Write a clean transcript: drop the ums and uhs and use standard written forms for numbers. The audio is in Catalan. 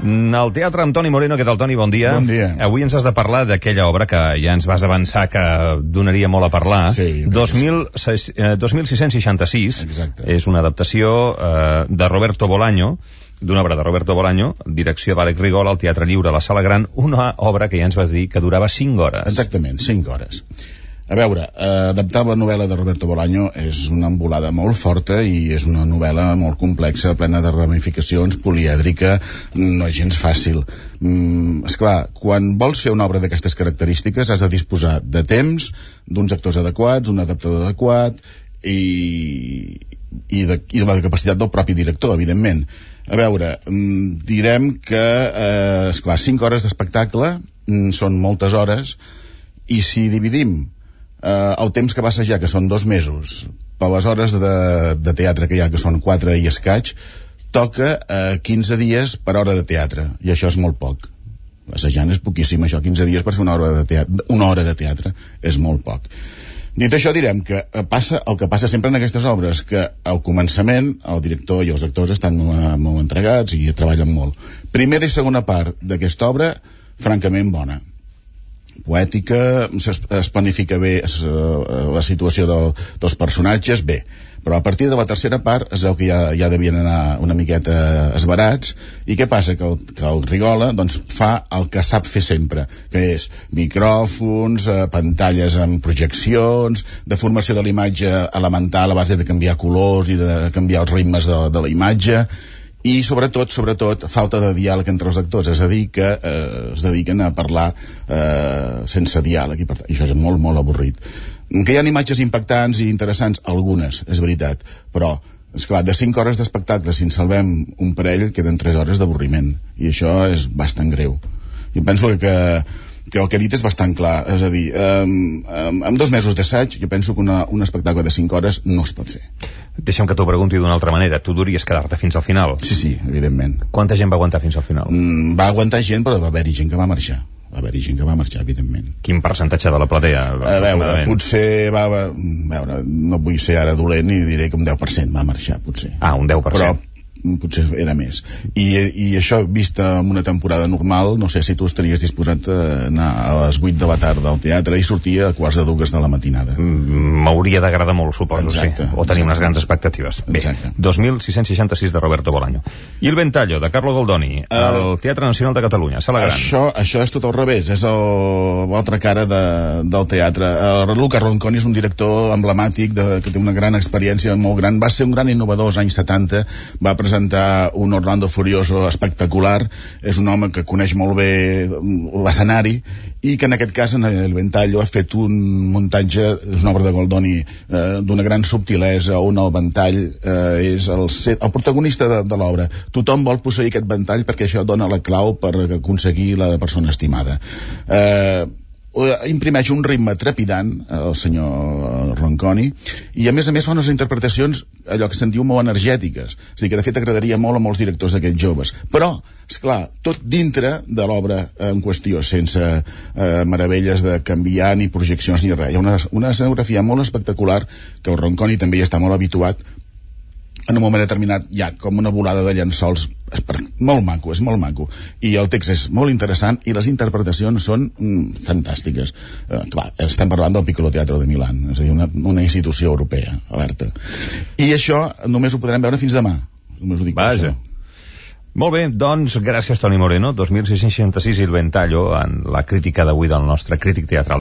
El teatre amb Toni Moreno. Què tal, Toni? Bon dia. Bon dia. Avui ens has de parlar d'aquella obra que ja ens vas avançar que donaria molt a parlar. Sí. 2666. Exacte. És una adaptació de Roberto Bolaño, d'una obra de Roberto Bolaño, direcció d'Àlex Rigol, al Teatre Lliure, a la Sala Gran, una obra que ja ens vas dir que durava 5 hores. Exactament, 5 hores. A veure, adaptar la novel·la de Roberto Bolaño és una embolada molt forta i és una novel·la molt complexa, plena de ramificacions, polièdrica, no és gens fàcil. Esclar, quan vols fer una obra d'aquestes característiques has de disposar de temps, d'uns actors adequats, un adaptador adequat i de la capacitat del propi director, evidentment. A veure, direm que, esclar, 5 hores d'espectacle són moltes hores, i si dividim el temps que va assajar, que són 2 mesos, per les hores de teatre que hi ha, que són 4 i escaig, toca 15 dies per hora de teatre, i això és molt poc. Assajant és poquíssim, això, 15 dies per fer una hora de teatre és molt poc. Dit això, direm que passa el que passa sempre en aquestes obres, que al començament el director i els actors estan molt entregats i treballen molt. Primera i segona part d'aquesta obra, francament bona. Poètica, es planifica bé la situació dels personatges, bé. Però a partir de la tercera part es veu que ja devien anar una miqueta esbarats. I què passa? Que el Rigola doncs, fa el que sap fer sempre, que és micròfons, pantalles amb projeccions, deformació de l'imatge elemental a base de canviar colors i de canviar els ritmes de la imatge, i sobretot falta de diàleg entre els actors, és a dir, que es dediquen a parlar sense diàleg, i per tant, això és molt, molt avorrit. Que hi ha imatges impactants i interessants, algunes, és veritat, però, esclar, de 5 hores d'espectacle, si en salvem un parell, queden 3 hores d'avorriment, i això és bastant greu. Jo penso que el que he dit és bastant clar, és a dir, amb 2 mesos d'assaig jo penso que un espectacle de 5 hores no es pot fer. Deixa'm que t'ho pregunti d'una altra manera. Tu deuries quedar-te fins al final? Sí, evidentment. Quanta gent va aguantar fins al final? Va aguantar gent, però va haver-hi gent que va marxar. Evidentment. Quin percentatge de la platea? A veure, potser no vull ser ara dolent i diré que un 10% va marxar, potser. Un 10%. Però potser era més. I això, vist en una temporada normal, no sé si tu estaries disposat a anar a les 8 de la tarda al teatre i sortir a 1:15 de la matinada. M'hauria d'agradar molt, suposo, exacte, sí. O tenir unes grans expectatives. Bé, 2666 de Roberto Bolaño. I El Ventaglio, de Carlo Goldoni, al Teatre Nacional de Catalunya, Sala Gran. Això és tot al revés, és l'altra cara del teatre. Luca Ronconi és un director emblemàtic que té una gran experiència, molt gran. Va ser un gran innovador als anys 70, va presentar un Orlando Furioso espectacular, és un home que coneix molt bé l'escenari i que en aquest cas en El Ventaglio ha fet un muntatge, és una obra de Goldoni d'una gran subtilesa, on el ventall és el protagonista de l'obra. Tothom vol posseir aquest ventall perquè això dona la clau per aconseguir la persona estimada. Imprimeix un ritme trepidant el senyor Ronconi i a més fa unes interpretacions allò que se'n diu molt energètiques, és a dir, que de fet agradaria molt a molts directors d'aquests joves, però, esclar, tot dintre de l'obra en qüestió, sense meravelles de canviar ni projeccions ni res. Hi ha una escenografia molt espectacular que el Ronconi també hi està molt habituat. En un moment determinat hi ha com una volada de llençols, és molt maco, i el text és molt interessant i les interpretacions són fantàstiques. Clar, estem parlant del Piccolo Teatro de Milán, és a dir, una institució europea, alerta. I això només ho podrem veure fins demà. Només ho dic per això. Molt bé, doncs gràcies Toni Moreno. 2666 i El Ventaglio en la crítica d'avui del nostre crític teatral.